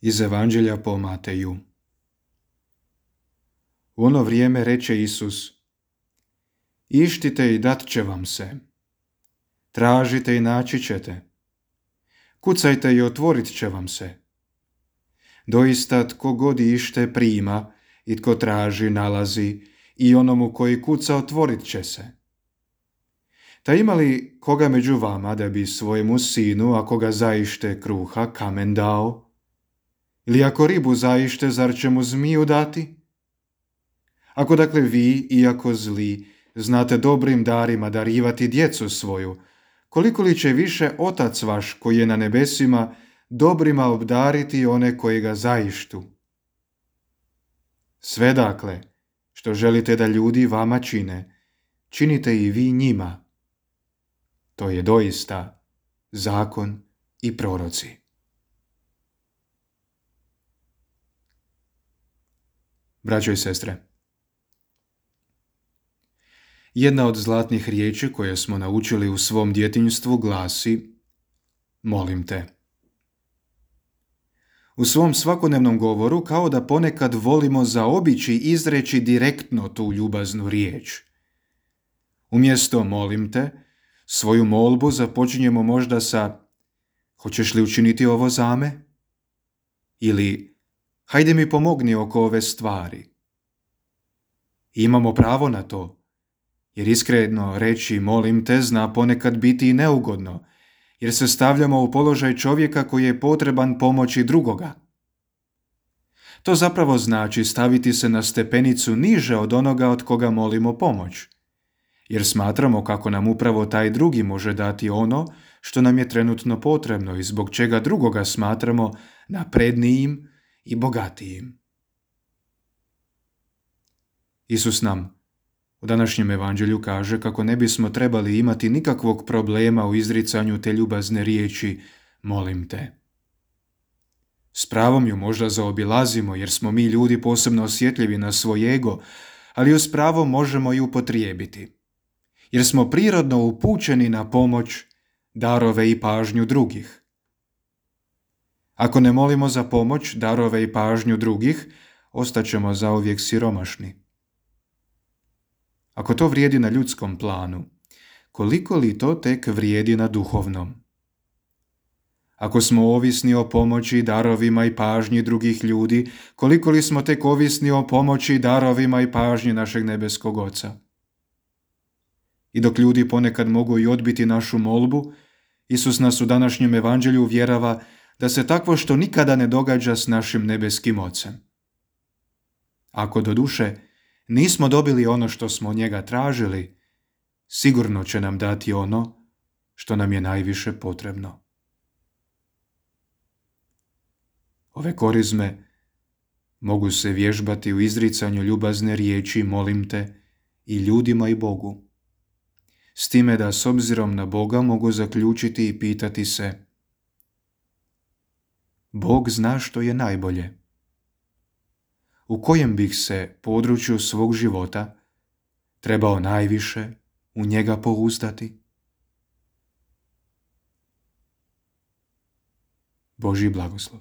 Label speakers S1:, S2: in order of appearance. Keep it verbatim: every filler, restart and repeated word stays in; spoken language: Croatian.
S1: Iz Evanđelja po Mateju. U ono vrijeme reče Isus: Ištite i dat će vam se. Tražite i naći ćete. Kucajte i otvorit će vam se. Doista tko god ište prima i tko traži nalazi i onomu koji kuca otvorit će se. Ta ima li koga među vama da bi svojemu sinu, ako ga zaište kruha, kamen dao? Ili ako ribu zaište, zar će mu zmiju dati? Ako dakle vi, iako zli, znate dobrim darima darivati djecu svoju, koliko li će više Otac vaš koji je na nebesima dobrima obdariti one koji ga zaištu? Sve dakle, što želite da ljudi vama čine, činite i vi njima. To je doista zakon i proroci. Braćo i sestre, jedna od zlatnih riječi koje smo naučili u svom djetinjstvu glasi: molim te. U svom svakodnevnom govoru kao da ponekad volimo zaobići izreći direktno tu ljubaznu riječ. Umjesto molim te, svoju molbu započinjemo možda sa: hoćeš li učiniti ovo za me? Ili hajde mi pomogni oko ove stvari. Imamo pravo na to, jer iskreno reći molim te zna ponekad biti i neugodno, jer se stavljamo u položaj čovjeka koji je potreban pomoći drugoga. To zapravo znači staviti se na stepenicu niže od onoga od koga molimo pomoć, jer smatramo kako nam upravo taj drugi može dati ono što nam je trenutno potrebno i zbog čega drugoga smatramo naprednijim i bogatijim. Isus nam u današnjem evanđelju kaže kako ne bismo trebali imati nikakvog problema u izricanju te ljubazne riječi molim te. S pravom ju možda zaobilazimo jer smo mi ljudi posebno osjetljivi na svoj ego, ali ju s pravom možemo i upotrijebiti, jer smo prirodno upućeni na pomoć, darove i pažnju drugih. Ako ne molimo za pomoć, darove i pažnju drugih, ostaćemo zauvijek siromašni. Ako to vrijedi na ljudskom planu, koliko li to tek vrijedi na duhovnom? Ako smo ovisni o pomoći, darovima i pažnji drugih ljudi, koliko li smo tek ovisni o pomoći, darovima i pažnji našeg nebeskog Oca? I dok ljudi ponekad mogu i odbiti našu molbu, Isus nas u današnjem evanđelju uvjerava da se takvo što nikada ne događa s našim nebeskim Ocem. Ako doduše nismo dobili ono što smo od njega tražili, sigurno će nam dati ono što nam je najviše potrebno. Ove korizme mogu se vježbati u izricanju ljubazne riječi molim te i ljudima i Bogu, s time da s obzirom na Boga mogu zaključiti i pitati se: Bog zna što je najbolje. U kojem bih se području svog života trebao najviše u njega pouzdati? Božji blagoslov.